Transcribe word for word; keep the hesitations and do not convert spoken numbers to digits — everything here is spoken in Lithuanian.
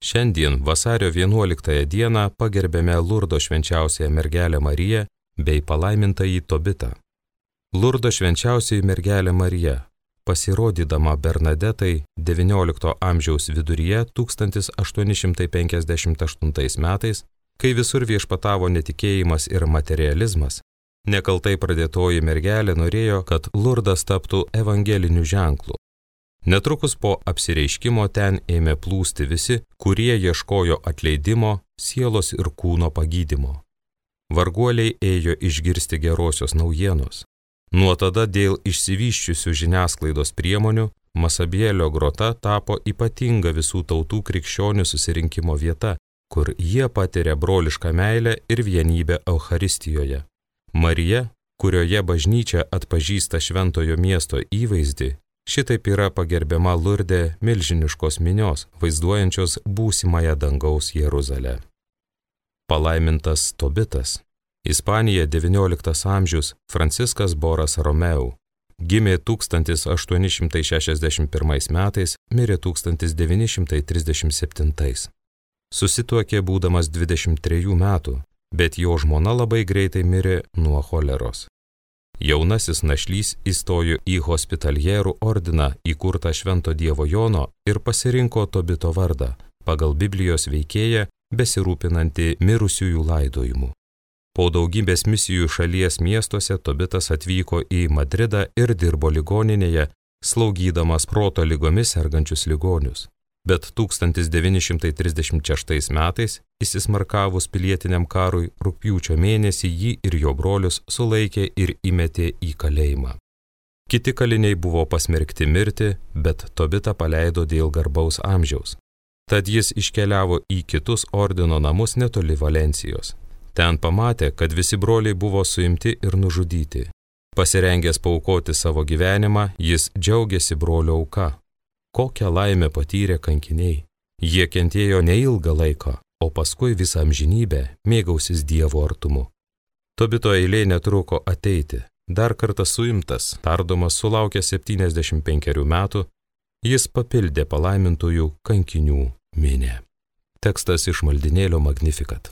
Šiandien vasario vienuoliktąją dieną pagerbėme Lurdo švenčiausiąją mergelę Mariją bei palaimintąjį Tobitą. Lurdo švenčiausioji mergelė Marija, pasirodydama Bernadetai devyniolikto amžiaus viduryje tūkstantis aštuoni šimtai penkiasdešimt aštuntais metais, kai visur viešpatavo netikėjimas ir materializmas, nekaltai pradėtoji mergelė norėjo, kad Lurdas taptų evangeliniu ženklu. Netrukus po apsireiškimo ten ėmė plūsti visi, kurie ieškojo atleidimo, sielos ir kūno pagydymo. Varguoliai ėjo išgirsti gerosios naujienos. Nuo tada dėl išsivysčiusių žiniasklaidos priemonių Masabielio grota tapo ypatinga visų tautų krikščionių susirinkimo vieta, kur jie patiria brolišką meilę ir vienybę Eucharistijoje. Marija, kurioje bažnyčia atpažįsta šventojo miesto įvaizdį, šitaip yra pagerbiama Lurde milžiniškos minios, vaizduojančios būsimąją dangaus Jeruzalę. Palaimintas Tobitas. Ispanija devynioliktas amžius Franciskas Boras Romeu. Gimė tūkstantis aštuoni šimtai šešiasdešimt pirmais metais, mirė tūkstantis devyni šimtai trisdešimt septintais. Susituokė būdamas dvidešimt trejų metų, bet jo žmona labai greitai mirė nuo choleros. Jaunasis našlys įstojo į hospitalierų ordiną įkurtą Švento Dievo Jono ir pasirinko Tobito vardą, pagal Biblijos veikėją besirūpinantį mirusiųjų laidojimu. Po daugybės misijų šalies miestuose Tobitas atvyko į Madridą ir dirbo ligoninėje, slaugydamas proto ligomis sergančius ligonius. Bet tūkstantis devyni šimtai trisdešimt šeštais metais, įsismarkavus pilietiniam karui, rugpjūčio mėnesį jį ir jo brolius sulaikė ir įmetė į kalėjimą. Kiti kaliniai buvo pasmerkti mirti, bet Tobitą paleido dėl garbaus amžiaus. Tad jis iškeliavo į kitus ordino namus netoli Valencijos. Ten pamatė, kad visi broliai buvo suimti ir nužudyti. Pasirengęs paaukoti savo gyvenimą, jis džiaugiasi brolio auka. Kokią laimę patyrė kankiniai. Jie kentėjo neilgą laiką, o paskui visą amžinybę mėgausis Dievo artumu. Tobito eilė netruko ateiti. Dar kartą suimtas, tardomas sulaukęs septyniasdešimt penkerių metų, jis papildė palaimintųjų kankinių minią. Tekstas iš maldynėlio Magnificat.